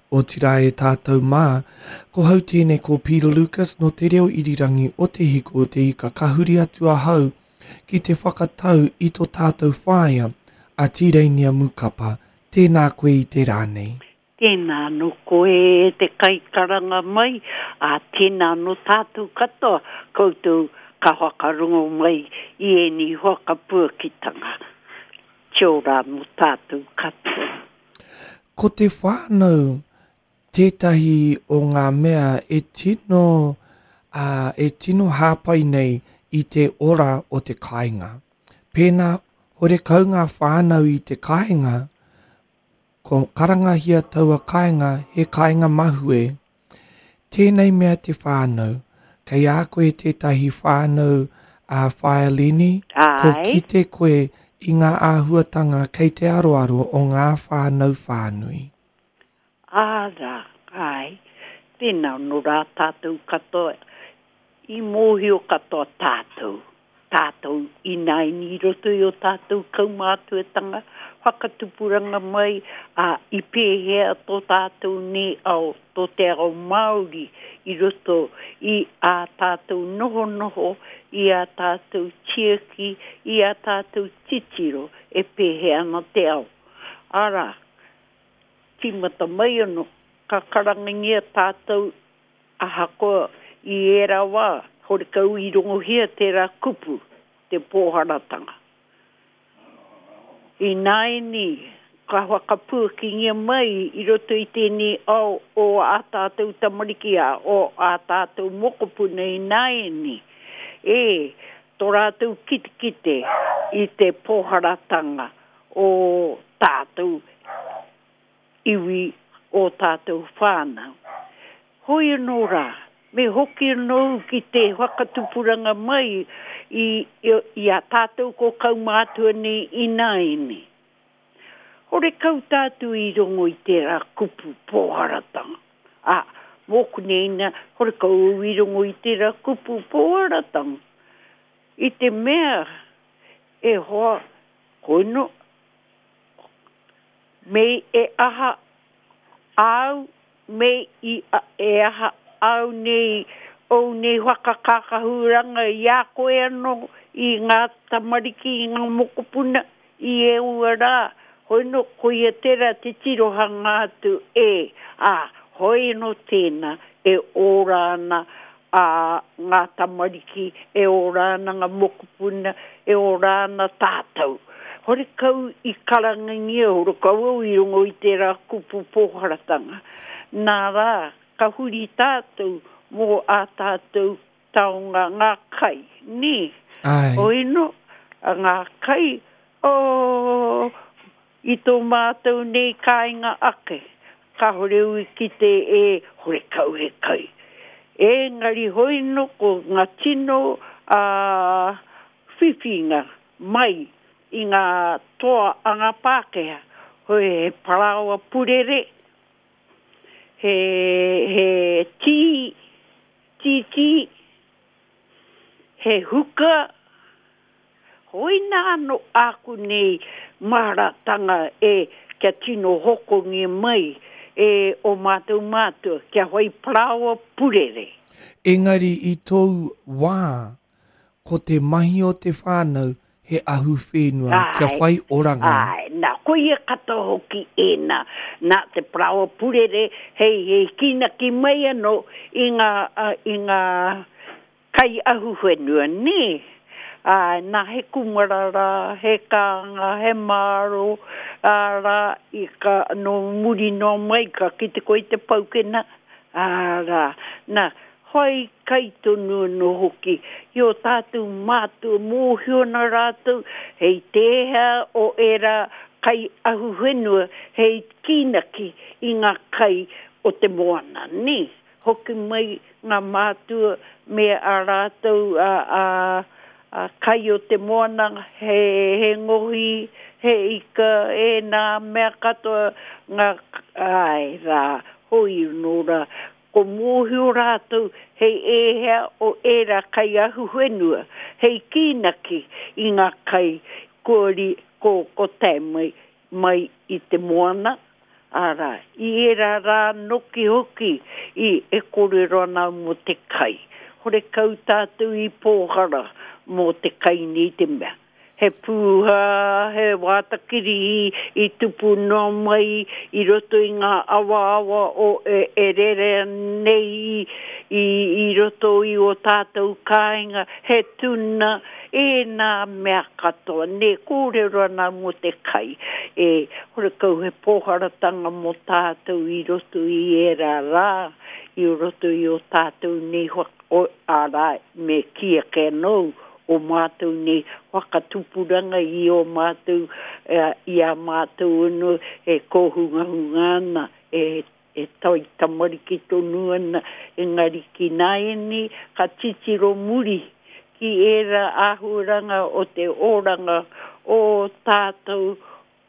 Otirā e tātou mā, ko hau tēnei ko Peter Lucas nō te reo irirangi o Te Hiku o Te Ika ka huri atu ahau ki te whakatau i tō tātou whaea, a Tīreinia Mukapa, tēnā koe i te rā nei. Tēnā anō koe e te kaikaranga mai, ā, tēnā anō tātou katoa, koutou ka whakarongo mai i ēnei whakapuakitanga. Kia ora anō tātou katoa. Ko te whānau tētahi o ngā mea e tino, ā, e tino hāpai nei i te ora o te kāinga. Pēnā horekau ngā whānau i te kāinga, ko karangahia taua kāinga he kāinga mahue. Tēnei mea te whānau, kei a koe tētahi whānau a Whaea Leni, ko kite koe i ngā āhuatanga kei te aroaro o ngā whānau whānui. Āra, āe, tēnā anō rā tātou katoa, i mōhio katoa tātou. Tātou ināianei i roto i ō tātou kaumātuatanga, whakatupuranga mai, ā, i pēhea tō tātou nei ao, tō te ao Māori i roto i ā tātou nohonoho, i ā tātou tiaki, i ā tātou titiro e pēhea ana te ao. Arā, tīmata mai anō, ka karangangia tātou Ahakoa i ērā wā, horekau i rongohia tērā kupu, te pōharatanga. Ināianei, ka whakapuakingia mai i roto i tēnei ao o ā tātou tamariki, ā, o ā tātou mokopuna ināianei, e, tō rātou kitekite i te pōharatanga o tātou iwi ō tātou whānau. Hoi anō rā, me hoki anō au ki te whakatupuranga mai i, i a tātou ko kaumātua nei ināianei. Horekau tātou i rongo i tērā kupu pōharatanga. Ā, mōku nei nā, horekau au i rongo i tērā kupu pōharatanga. I te mea, e hoa, koino, Me e aha āu, me i e aha āu nei, ōu nei whakakākahuranga i a koe anō, i ngā tamariki, i ngā mokopuna, i ēua rā, hoi nō, koia tērā te tirohanga atu e, ā, hoi anō tēnā e ora ana ā ngā tamariki, e ora ana ngā mokopuna, e ora ana tātou. Horekau i karangangia, horekau au i rongo i tērā kupu pōharatanga. Nā rā, ka huri tātou mō ā tātou taonga, ngā kai, nē? Āe. Hoi nō, ngā kai, oh, I tō mātou nei kāinga ake, kāore au i kite e horekau he kai. Ēngari hoi no ko ngā tino whiwhinga mai i ngā toa a ngā Pākehā, hoi he parāoa purere, he, he tī, tītī, he huka, Hoina ano āku nei maharatanga e kia tino hokongia mai e o mātou mātua kia whai paraoa purere. Engari i tōu wā, ko te mahi o te whānau he ahu whenua kia whai oranga. Āe, nā, koia katoa hoki ēnā, nā te paraoa purere hei, hei kīnaki mai anō i ngā, i ngā Kai ahuwhenua, nē? Āe, nā, he kūmara rā, he kānga, he māro, ā, rā, i ka, nō muri noa mai ka kite koe i te paukena, ā, rā. Nā, whai kai tonu anō hoki i ō tātou mātua mōhio ana rātou hei tēhea o ērā kai ahuwhenua hei kīnaki i ngā kai o te moana, nē? Hoki mai ngā mātua me ā rātou kai o te moana, he ngohi, he ika, ēnā mea katoa, ngā, āe rā, hoi anō rā, ko mōhio rātou hei ēhea o ērā kai ahuwhenua, hei kīnaki i ngā kai kua, ko, ko tae mai, mai i te moana. Arā, i ērā rā noki hoki i e kōrero ana au mō te kai. Horekau tātou i pōhara mō te kai nei te mea. He pūhā, he wātakirihi i tupu noa mai i roto i ngā awaawa o e, e rere nei i, i, i roto i ō tātou kāinga, he tuna, ēnā mea katoa. Nē, kōrero ana mō te kai. E, horekau he pōharatanga mō tātou i roto i ērā rā, i roto i ō tātou nei whaka, arā, me kī ake anō, o mātou nei whakatupuranga i ō mātou, i a mātou anō e kōhungahunga ana, e, e toi tamariki tonu ana, engari ki nāianei ka titiro muri ki ērā āhuaranga o te oranga o tātou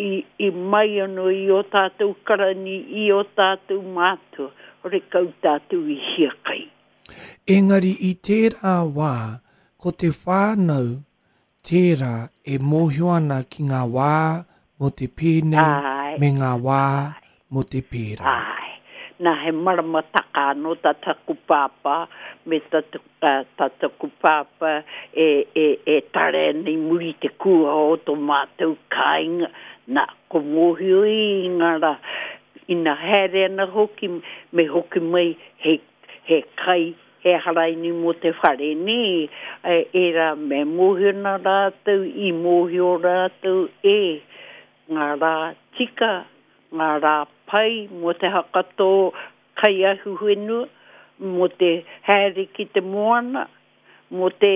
i, i mai anō i ō tātou karani, i ō tātou mātua, horekau tātou i hiakai. Engari i tērā wā, ko te whānau tērā e mōhio ana ki ngā wā mō te pēnei me ngā wā mō te pērā. Āe. Nā, he maramataka anō tā taku pāpā me tā, tā taku pāpā e, e, e tare ana i muri i te kūaha o tō mātou kāinga. Nā, ko mōhio i ngā rā, ina haere ana hoki, me hoki mai he he kai, he haraini mō te whare, nē, ērā me mōhio ana rātou, i mōhio rātou e ngā rā tika, ngā rā pai mō te hakatō kai ahuwhenua, mō te haere ki te moana, mō te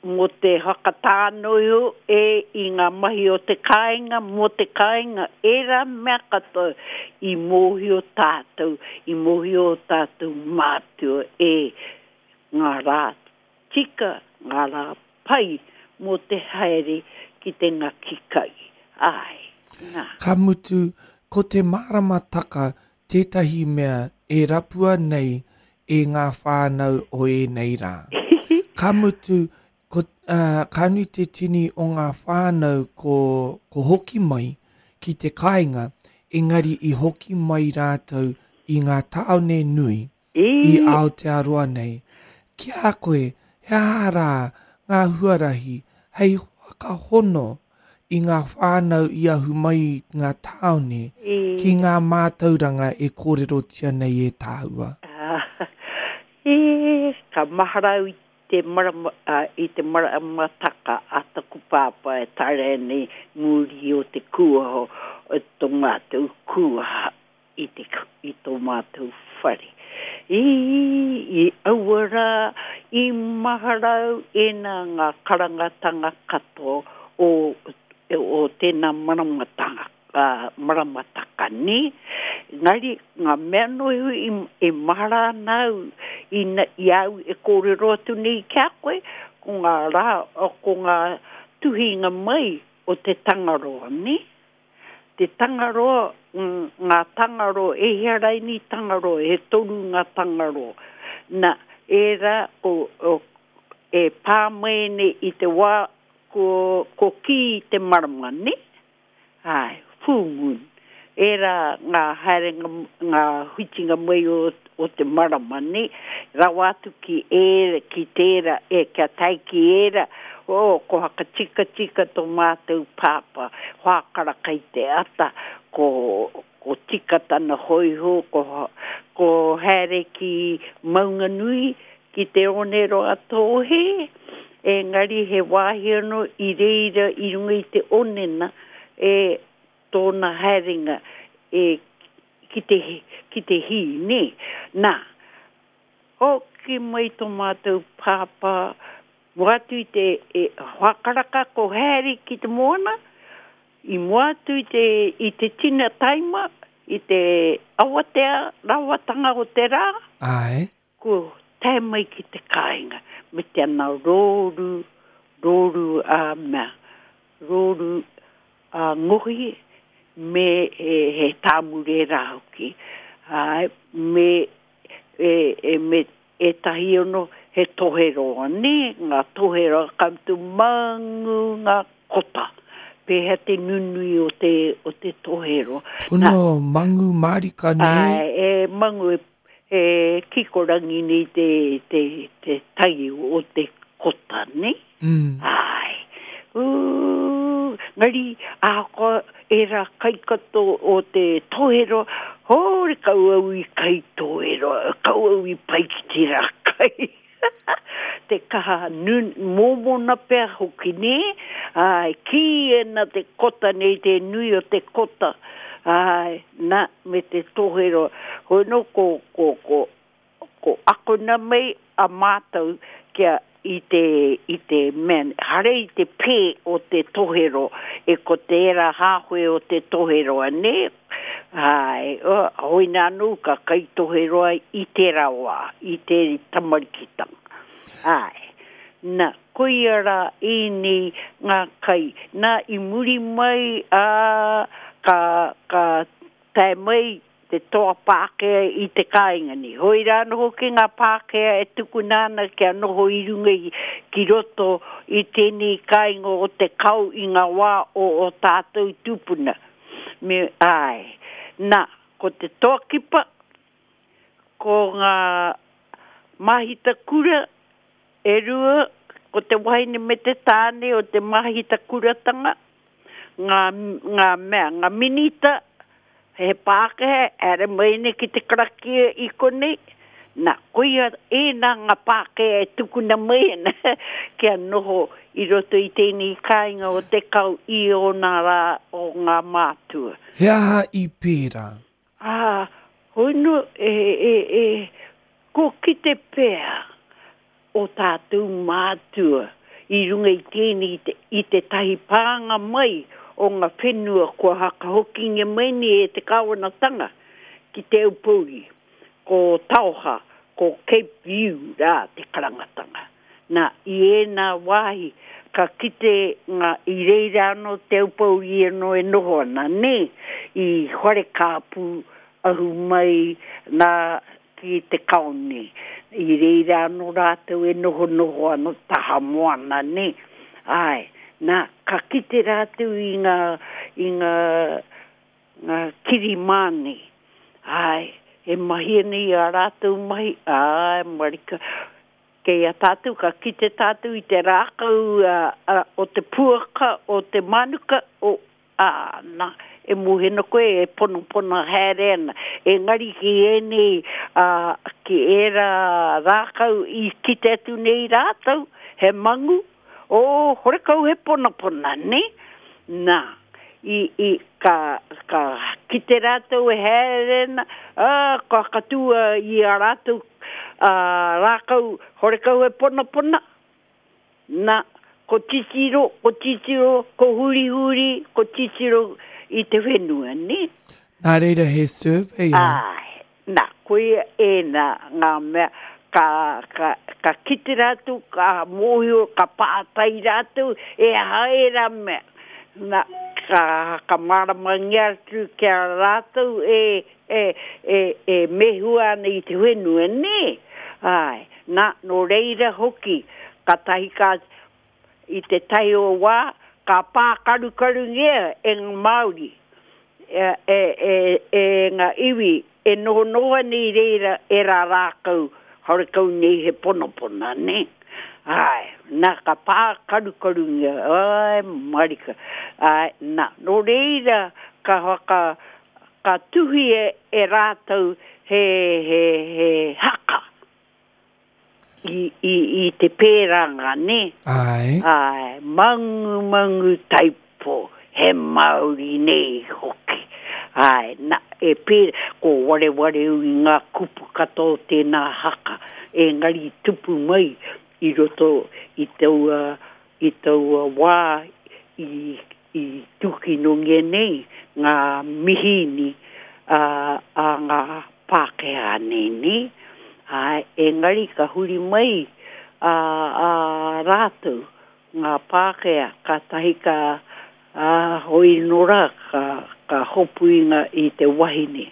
mō te whakatānoiho e i ngā mahi o te kāinga, mō te kāinga, ērā mea katoa i mōhio tātou, i mōhio ō tātou mātua e ngā rā tika, ngā rā pai mō te haere ki te ngaki kai. Āe, nā. Ka mutu, ko te māramataka tētahi mea e rapua nei e ngā whānau o ēnei rā. Ka mutu, ko, uh, ka nui te tini o ngā whānau ko, ko hoki mai ki te kāinga, engari i hoki mai rātou i ngā tāone nui i Aotearoa nei. Ki a koe, he aha rā ngā huarahi hei whakahono i ngā whānau i ahu mai i ngā tāone ki ngā mātauranga e kōrerotia nei e tāua? E, ka mahara au i te marama, i te maramataka a taku pāpā e taea nei muri o te kūaha o tō mātou kūaha. i te, i tō mātou whare. I, i aua rā, i mahara au ēnā ngā karangatanga katoa o, o tēnā maramatanga, ā, maramataka, nē. Engari, ngā mea noa iho i, e mahara ana au ina, i a au e kōrero atu nei ki a koe, ko ngā rā, ko ngā tuhinga mai o te Tangaroa, nē. Te Tangaroa, ngā Tangaroa, e hia raini Tangaroa, he toru ngā Tangaroa. Na, ērā ko, e pā mai nei i te wā ko, ko kī te marama, nē? Āe, full moon. Ērā ngā haerenga, ngā whitinga mai o, o te marama, nē? Rawa atu ki ērā, ki tērā, e, kia tae ki ērā, oh, ko whakatikatika tō mātou pāpā, whākara kai te ata, ko, ko tika tana hōiho, ko, ko haere ki Maunganui, ki Te Oneroa-a-Tōhē, engari he wāhi anō i reira i runga i te onena e tōna haerenga e ki te, ki te hī, nē. Nā, hoki mai tō mātou pāpā Mua atu i te e, whakaraka ko Harry ki te moana, i mua atu i te, i te tina taima, i te awatea rawatanga o te rā. Āe. Ko tae mai ki te kāinga me te ana rōru, rōru a mea, rōru a ngohi me he, he tāmure rā hoki. Āe, me, e, e, me Ētahi ono he toheroa, nē, ngā toheroa ka mutu mangu ngā kota. Pēhea te nunui o te, o te toheroa. Pono, mangu mārika nē? Āe, e mangu, e, e kikorangi nei te, te, te tai o te kota, nē? Mm. Āe. Ū, ngari, ahakoa ērā kai katoa o te toheroa, horekau au i kai toheroa, kau au i pai ki tērā kai. Te kaha nun, mōmona pea hoki, nē? Āe, kī ana te kota nei, te nui o te kota, āe, nā, me te toheroa. Hoi nō, ko, ko, ko, ko akona mai a mātou kia i te, i te mea, hare i te pē o te toheroa, e ko tērā hāwhe o te toheroa, nē? Āe, hoina anō ka kai toheroa i tērā wā, i te tamarikitanga. Āe. Na, koia rā ēnei ngā kai. Nā, i muri mai, ā, ka, ka tae mai te toa Pākehā i te kāinga nei. Hoi rā anō hoki ngā Pākehā e tukuna ana kia noho i runga i, ki roto i tēnei kāinga o Te Kao i ngā wā o ō tātou tūpuna. Me, āe. Nā, ko te toa kipa, ko ngā māhita kura e rua, ko te wahine me te tāne o te māhita kuratanga, ngā, ngā mea, ngā minita, he Pākehā, haere mai nei ki te karakia i konei, nā, koia ēnā ngā Pākehā e tukuna mai ana kia noho i roto i tēnei kāinga o Te Kao i ōna rā o ngā mātua. He aha i pērā? Ā, hoi nō, e, e, e, kua kite pea ō tātou mātua i runga i tēnei i te, i tētahi pānga mai o ngā whenua kua hakahokingia mai nei e te kāwanatanga ki Te Aupōuri, ko Taoha, ko Cape View rā te karangatanga. Nā, i ēnā wāhi ka kite ngā, i reira anō Te Aupōuri anō e noho ana, nē, i Wharekāpū ahu mai nā ki te kao nē. I reira anō rātou e nohonoho ana taha moana, nē. Āe, nā, ka kite rātou i ngā, i ngā, ngā kiri mā nei. Āe, e mahi ana i ā rātou mahi, āe, marika. Kei a tātou, ka kite tātou i te rākau o te puaka, o te mānuka, o, ā, nā, e mōhio ana koe e ponapona haere ana. Engari ki ēnei, ā, ki ērā rākau i kite atu nei rātou, he mangu, ō, horekau he ponapona, nē? Nā, i, i, ka, ka kite rātou e haere ana, ā, ka whakatū i ā rātou, ā, rākau horekau he ponapona, nā, ko titiro, ko titiro, ko hurihuri, ko titiro i te whenua, nē? Nā reira he surveyor. Āe, Nā, koia ēnā ngā mea ka, ka, ka kite rātou, ka mōhio, ka pātai rātou, e aha ērā mea. Nā, ka, ka māramangia atu ki a rātou e, e, e, e mehua ana i te whenua, nē? Āe, nā, nō reira hoki, kātahi ka, I te tahi o wā, ka pākarukarungia e ngā Māori, e, e, e, e ngā iwi e nohonoho ana i reira ērā rākau horekau nei he ponapona, nē? Āe, nā, ka pākarukarungia, āe, marika, āe, nā, nō reira ka whaka, ka tuhi e, e rātou he, he, he haka. I, i, i te pēranga, nē? Āe. Āe, mangumangu taipo, he Māori nei hoki. Āe, na, e pērā, ko wareware au i ngā kupu katoa o tēnā haka, engari i tupu mai i roto i taua, i taua wā i, i tūkinongia nei ngā mihīni a, a ngā Pākehā nei, nē? Āe, engari ka huri mai a, a rātou, ngā Pākehā, kātahi ka, ā, hoi nō rā, ka, ka hopu i ngā, i te wahine.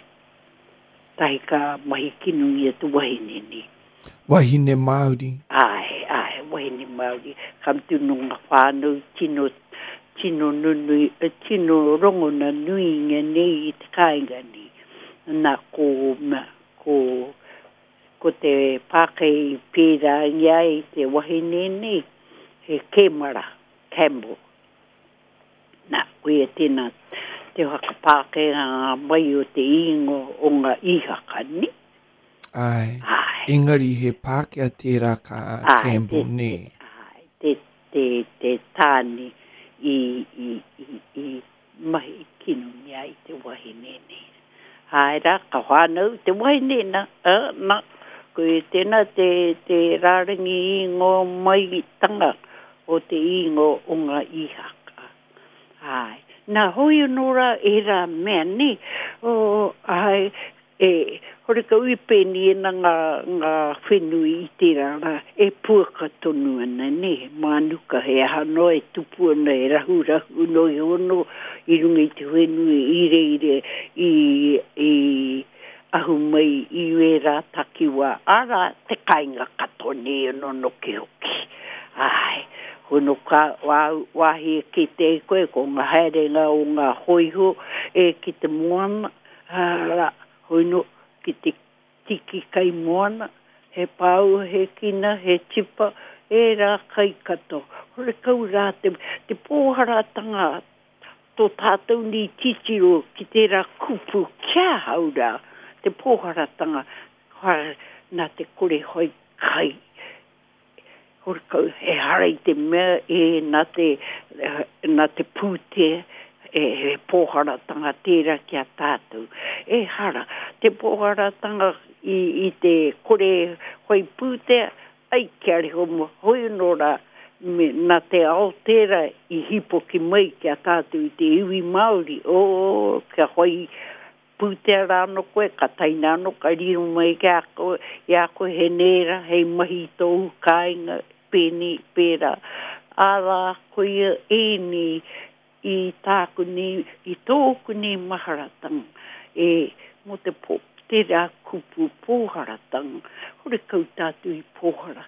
Tahi ka mahi kinongia te wahine nei. Wahine Māori. Āe, āe, wahine Māori. Ka mutu nō ngā whānau tino. tino nunui, tino rongona nuingia nei i te kāinga nei. Nā, ko, ko, ko te Pākehā i pērāngia ai te wahine nei, he Kēmara, Campbell. Nā, koia tēnā te whakapākehā mai o te īngoa o ngā Īhaka, nē? Āe. Āe. Engari he Pākehā tērā ka Campbell, nē? Āe, te, te, te tāne i, i, i, i mahi kinongia ai te wahine nei. Āe rā, ka whānau te wahine nā, ā, nā, koia tēnā te, te rārangi īngoa maitanga o te īngoa o ngā Īhaka. Āe. Nā, hoi anō rā ērā mea, nē, o, āe, E, horekau i pēnei ana ngā, ngā whenua i tērā rā, e puaka tonu ana, nē, mānuka he aha noa e tupu ana, e rahurahu noa iho anō i runga i te whenua i reira i, i ahu mai i wērā takiwā, arā, te kāinga katoa nei anō noki hoki. Āe, hono ka wāu wāhi e kite ai koe ko ngā haerenga o ngā hōiho e ki te moana, Ā, hoi nō, ki te tiki kai moana, he pāua, he kina, he tipa, ērā kai katoa. Horekau rā te, te pōharatanga tō tātou nei titiro ki tērā kupu ki ahau rā, te pōharatanga, nā te kore whai kai. Horekau, ehara i te mea e nā te, nā te pūtea, e, he pōharatanga tērā ki a tātou. Ehara, te pōharatanga i, i te kore whai pūtea, ai kia reho mua, hoi anō rā, me, nā te ao tērā i hīpoki mai ki a tātou i te iwi Māori, oh, kia whai Pūtea rā anō koe, ka taina anō, ka riro mai ki a koe, i a koe he nēra hei mahi i tōu kāinga, pēnei, pērā. Arā, koia ēnei i tāku nei, i tōku nei maharatanga, e, mō te pō, tērā kupu pōharatanga, horekau tātou i pōhara.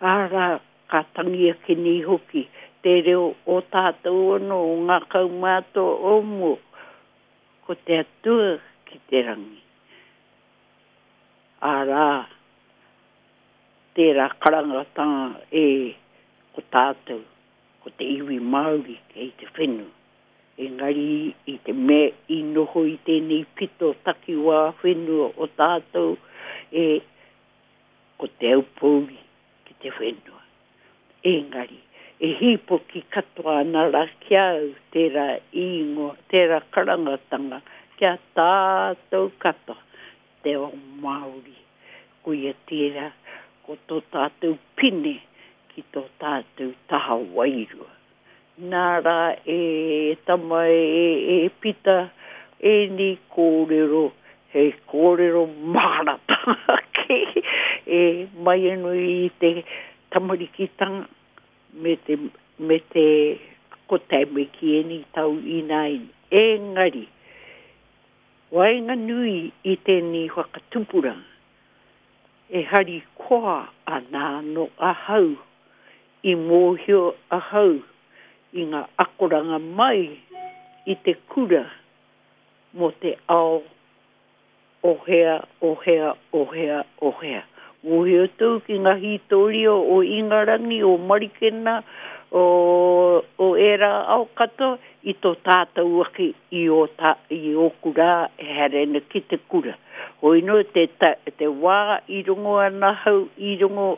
Arā, ka tangi ake nei hoki te reo o tātou anō, o ngā kaumātua o mua, Ko te Atua ki te rangi. Arā, tērā karangatanga e ko tātou, ko te iwi Māori kei te whenua. Engari i te mea i noho i tēnei pito takiwā whenua o tātou e ko Te Aupōuri ki te whenua. Engari, e hīpoki katoa ana rā ki a au tērā īngoa, tērā karangatanga ki a tātou katoa, te ao Māori. Koia tērā, ko tō tātou pine ki tō tātou taha wairua. Nā rā e tama e Pita ēnei kōrero he kōrero maharatanga ake e mai anō i te tamarikitanga me te, me te ko tae mai ki ēnei tau ināianei. Engari, waenganui i tēnei whakatupuranga, e harikoa ana anō ahau I mōhio ahau i ngā akoranga mai i te kura mō te ao o hea, o hea, o hea, o hea. Mōhio tou ki ngā hītoria o Ingarangi, o Marikena, o, o ērā ao katoa i tō tātou ake i ō tā, i ōku rā e haere ana ki te kura. Hoi nō te, ta, te wā i rongo ana ahau i rongo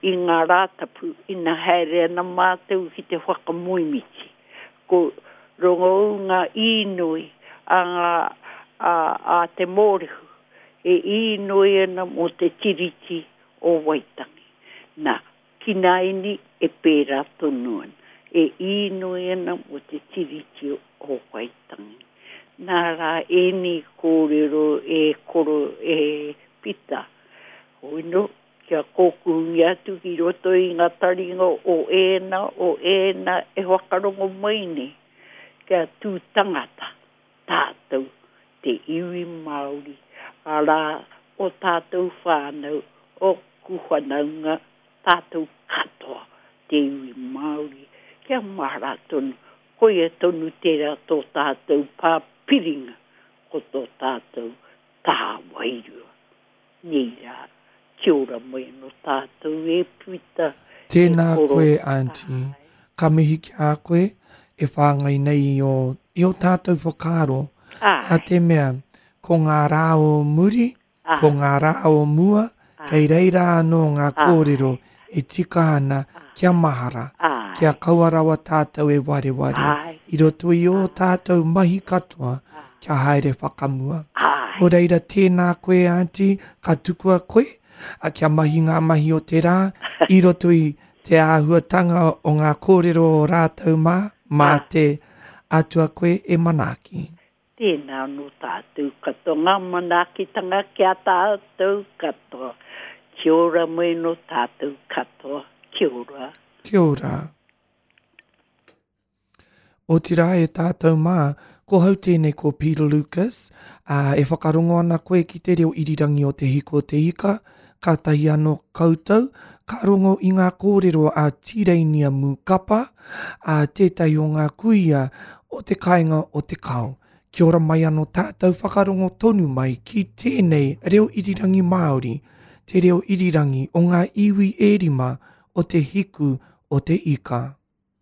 i ngā Rātapu ina haere ana mātou ki te whakamoemiti. Ko rongo au ngā īnoi a ngā, a, a te Mōrehu e īnoi ana mō te Tiriti o Waitangi. Nā, Ki nāianei e pērā tonu ana, e īnoi ana mō te Tiriti o Waitangi. Nā rā ēnei kōrero e koro e Pita, hoi nō, kia kōkuhungia atu ki roto i ngā taringa o ēnā, o ēnā e whakarongo mai nei, kia tū tangata tātou, te iwi Māori, arā, o tātou whānau, ōku whanaunga, tātou katoa, te iwi Māori, kia mahara tonu. Koia tonu tērā tō tātou pā piringa, ko tō tātou taha wairua. Nei rā, kia ora mai anō tātou e Pita, e Tēnā koro. koe Aunty. Ka mihi ki a koe e whāngai nei i ō, i ō tātou whakaaro. Nā Āe. te mea, ko ngā rā o muri, Ko ngā rā o mua, kei reira anō ngā kōrero e tika ana kia mahara, kia kaua rawa tātou e wareware i roto i ō tātou mahi katoa kia haere whakamua. Nō reira tēnā koe Aunty, ka tukua koe kia mahi ngā mahi o te rā i roto i te āhuatanga o ngā kōrero o rātou mā, mā te Atua koe e manaaki. Tēnā anō tātou katoa, ngā manaakitanga ki a tātou katoa. Kia ora mai anō tātou katoa. Kia ora. Kia ora. Otirā e tātou mā, ko hau tēnei ko Peter Lucas, ā, e whakarongo ana koe ki te reo irirangi o Te Hiko o Te Ika, kātahi anō koutou ka rongo i ngā kōrero a Tīreinia Mūkapa, ā, tētahi o ngā kuia o te kāinga o Te Kao. Kia ora mai anō tātou whakarongo tonu mai ki tēnei reo irirangi Māori, te reo irirangi o ngā iwi e rima o te hiku o te ika.